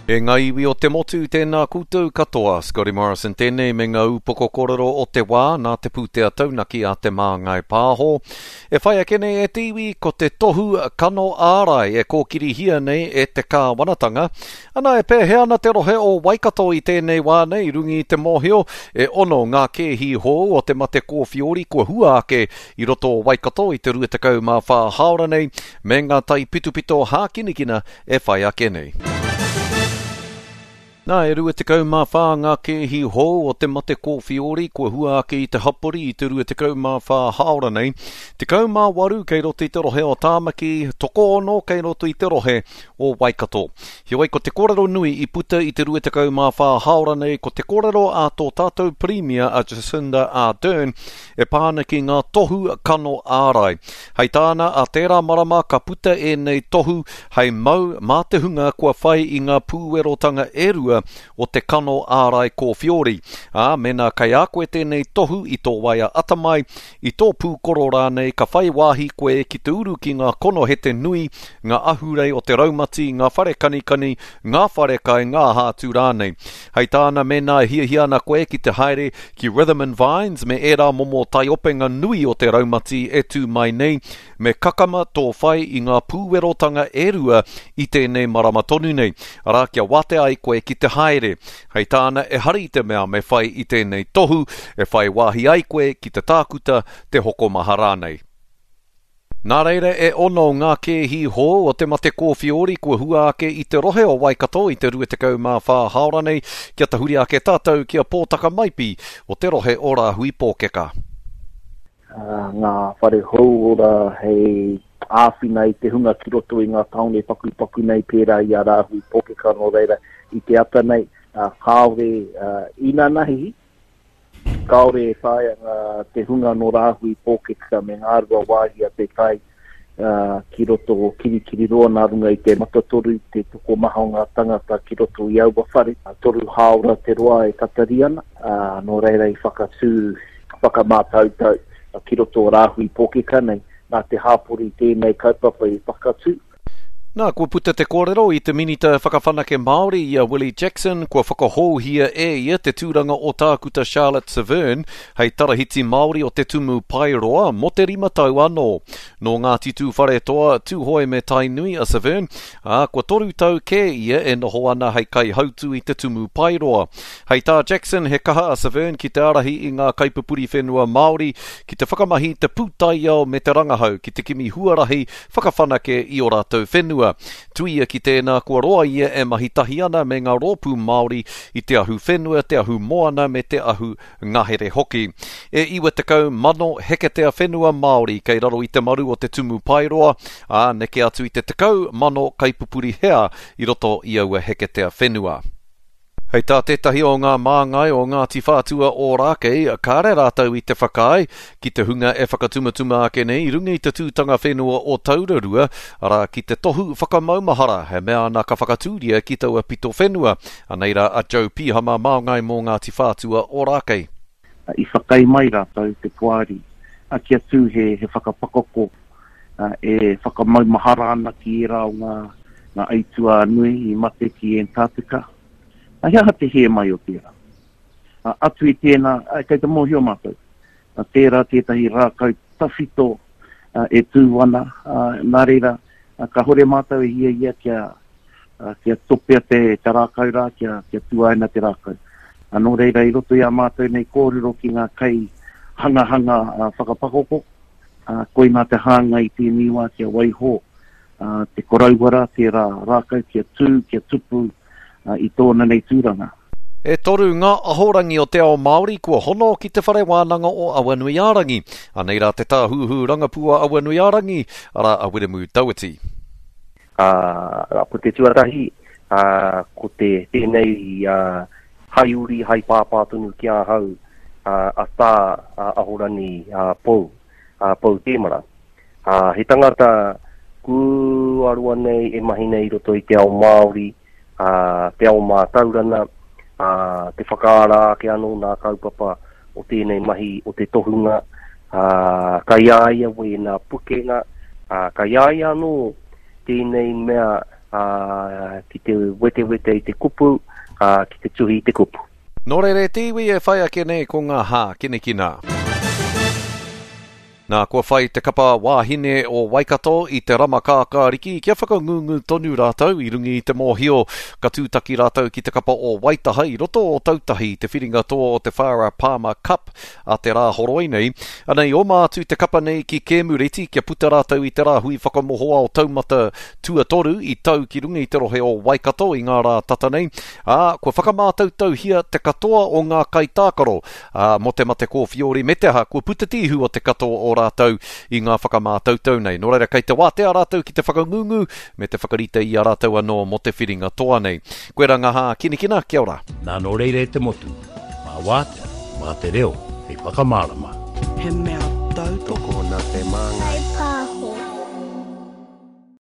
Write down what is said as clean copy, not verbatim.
E ngā iwi o te motu, tēnā koutou katoa. Scotty Morrison tēnei me ngā upoko kōrero o te wā nā te pūtea taunaki a Te Māngai Pāho. E whai ake nei e te iwi ko te tohu kano ārai e kōkirihia nei e te kāwanatanga. Ana e pēhea ana te rohe o Waikato i tēnei wā nei runga i te mōhio e ono ngā kēhi hou o te mate kōwhiori kua hua ake i roto o Waikato i te 24 hāora nei me ngā taipitopito hākinakina e whai ake nei. Nā, e 24 ngā kēhi hou o te mate kōwhiori kua hua ake i te hapori i te 24 hāora nei. 18 kei roto i te rohe o Tāmaki, tokoono kei roto i te rohe o Waikato. Heoi, ko te kōrero nui i puta i te 24 hāora nei ko te kōrero a tō tātou Pirimia a Jacinda Ardern e pā ana ki ngā tohu kano ārai. Hei tāna, ā tērā marama ka puta ēnei tohu hei mau mā te hunga kua whai i ngā pūwerotanga e rua o te kano ārai kōwhiori. Ā, mēnā kei a koe tēnei tohu i tō waea atamai, i tō pūkoro rānei ka whai wāhi koe ki te uru ki ngā konohete nui, ngā ahurei o te raumati, ngā whare kanikani, ngā wharekai, ngā aha atu rānei. Hei tāna, mēnā e hiahia ana koe ki te haere ki Rhythm and Vines me ērā momo taiopenga nui o te raumati e tū mai nei, me kakama tō whai i ngā pūwerotanga e rua i tēnei marama tonu nei, arā kia wātea ai koe ki te haere. Hei tāna, ehara i te mea me whai i tēnei tohu, e whai wāhi ai koe ki te tākuta, te hokomaha rānei. Nā reira e ono ngā kēhi hou o te mate kōwhiori kua hua ake i te rohe o Waikato i te 24 hāora nei, kia tahuri ake tātou ki a Pōtaka Maipi o te rohe o Rāhui Pōkeka. Ngā whare hauora hei āwhina i te hunga ki roto i ngā tāone pakupaku nei pērā i a Rāhui Pōkeka nō reira i te ata nei kāore inanahi Kāore e taea ngā, te hunga nō Rāhui Pōkeka me Ngāruawāhia te tae ki roto o Kirikiriroa nā runga i te matatoru, te tokomaha o ngā tangata ki roto i aua whare. Toru hāora te roa e tatari ana, nō reira i whakatū whakamātautau ki roto o Rāhui Pōkeka nei. Nā te hāpori tēnei kaupapa i whakatū. Nā, kua puta te kōrero i te Minita Whakawhanake Māori i a Willie Jackson, kua whakahouhia e ia te tūranga o Tākuta Charlotte Severne hei Tarahiti Māori o te Tumu Paeroa mō te rima tau anō. Nō Ngāti Tūwharetoa, Tūhoe me Tainui a Severne, ā, kua toru tau kē ia e noho ana hei kaihautū i te Tumu Paeroa. Hei tā Jackson, he kaha a Severne ki te ārahi i ngā kaipupuri whenua Māori ki te whakamahi i te pūtaiao me te rangahau ki te kimi huarahi whakawhanake i ō rātou whenua. Tuia ki tēnā, kua roa ia e mahi tahi ana me ngā rōpū Māori i te ahu whenua, te ahu moana me te ahu ngahere hoki. E 90,000 heketea whenua Māori kei raro i te maru o te Tumu Paeroa, ā, neke atu i te 10,000 kaipupuri hea i roto i aua heketea whenua. Hei tā tētahi o ngā māngai o Ngāti Whātua Ōrākei, kāre rātou i te whakaae ki te hunga e whakatumatuma ake nei i runga i te tūtanga whenua o Taurarua, arā, ki te tohu whakamaumahara, e mea ana ka whakatūria ki taua pito whenua. Anei rā a Joe Pihama, māngai mō Ngāti Whātua Ōrākei. I whakaae mai rātou, te poari, kia tū he whakapakoko e whakamaumahara ana ki ērā o ngā aituā nui i mate ki Antarctica. He aha te hē mai o tērā? Atu i tēnā, kei te mōhio mātou, tērā tētahi rākau tawhito e tū ana, nā reira, kāhore mātou e hiahia kia kia topea te, te rākau rā, kia, kia tuaina te rākau. Nō reira, i roto i ā mātou nei kōrero ki ngā kai hangahanga whakapakoko, koinā te hāngai i tēnei wā kia waiho te koroua rā, tērā rākau kia tū, kia tupu i tōna nei tūranga. E toru ngā ahorangi o te ao Māori kua hono ki Te Whare Wānanga o Awanuiārangi. Anei rā te tāhuhu rangapū a Awanuiārangi, arā a Wiremu Tauiti. Ā, ko te tuatahi, ā, ko te, tēnei, ā, hai uri, hai pāpā tonu ki ahau, ā, a Tā, a Ahorangi, ā, Pou, ā, Pou Tēmara. Ā, he tangata kua roa nei e mahi nei i roto i te ao Māori, ā, te ao mātaurana, ā, te whakaara ake anō nā kaupapa o tēnei mahi o te tohunga, ā, kai a ia wēnā pukenga, ā, kai a ia anō tēnei mea. ā, ki te wetewete i te kupu, ā, ki te tuhi i te kupu. Nō reira e te iwi e whai ake nei ko ngā hākinakina. Nā, kua whai te kapa wāhine o Waikato i te rama kākāriki kia whakangungu tonu rātou i runga i te mōhio ka tūtaki rātou ki te kapa o Waitaha i roto o Tautahi i te whiringa toa o te Farah Palmer Cup a te Rāhoroi nei. Anei, oma atu te kapa nei ki Kēmureti kia puta rātou i te rāhui whakamohoao taumata tuatoru i tau ki runga i te rohe o Waikato i ngā rā tata nei, ā, kua whakamātautauhia te katoa o ngā kaitākaro, ā, mō te mate kōwhiori me te aha, kua puta te ihu o te katoa o rātou i ngā whakamātautau nei. Nō reira, kei te wātea rātou ki te whakangungu me te whakarite i a rātou anō mō te whiringa toa nei. Koirā ngā hākinakina, kia ora. Nā nō reira e te motu, mā wātea, mā te reo hei whakamārama. He mea.